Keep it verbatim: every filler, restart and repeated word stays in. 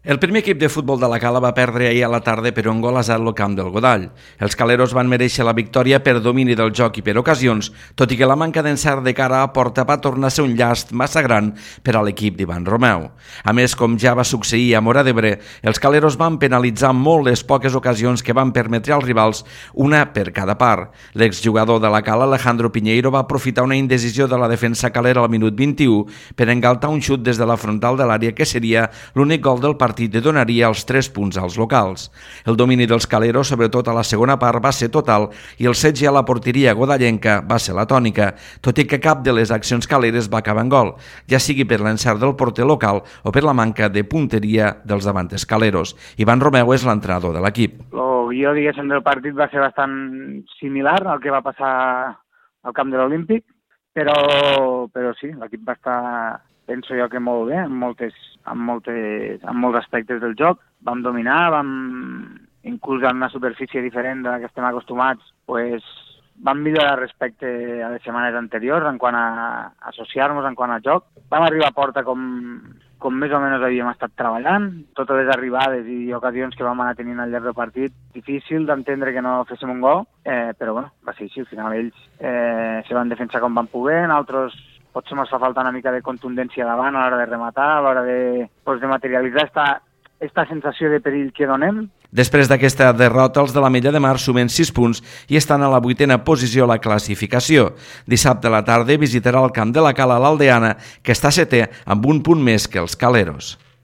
El primer equip de futbol de la Cala va perdre ahir a la tarda per un gol a zero al camp del Godall. Els caleros van mereixer la victòria per domini del joc i per ocasions, tot i que la manca d'encert de cara a porta va tornar a ser un llast massa gran per a l'equip d'Ivan Romeu. A més, com ja va succeir a Móra d'Ebre, els caleros van penalitzar molt les poques ocasions que van permetre als rivals, una per cada part. L'exjugador de la Cala, Alejandro Piñeiro, va aprofitar una indecisió de la defensa calera al minut vint-i-u per engaltar un xut des de la frontal de l'àrea que seria l'únic gol del partit i donaria els tres punts als locals. El domini dels caleros, sobretot a la segona part, va ser total i el setge a la porteria godallenca va ser la tònica, tot i que cap de les accions caleres va acabar en gol, ja sigui per l'encert del porter local o per la manca de punteria dels davantes caleros. Ivan Romeu és l'entrenador de l'equip. El guió, diguéssim, del partit va ser bastant similar al que va passar al camp de l'Olímpic, però, però sí, l'equip va estar, penso jo, que molt bé, en, moltes, en, moltes, en molts aspectes del joc. Vam dominar, vam, inclús en una superfície diferent de la que estem acostumats, pues, vam millorar respecte a les setmanes anteriors en quant a associar-nos, en quant a joc. Vam arribar a porta com, com més o menys havíem estat treballant. Totes les arribades i ocasions que vam anar tenint al llarg del partit, difícil d'entendre que no féssim un gol, eh, però bueno, va ser així. Al final ells eh, se van defensar com van poder, nosaltres potser ens fa falta una mica de contundència davant a l'hora de rematar, a l'hora de, pues, de materialitzar esta, esta sensació de perill que donem. Després d'aquesta derrota, els de la Mella de Mar sumen sis punts i estan a la vuitena posició a la classificació. Dissabte a la tarda visitarà el camp de la Cala l'Aldeana, que està setè amb un punt més que els caleros.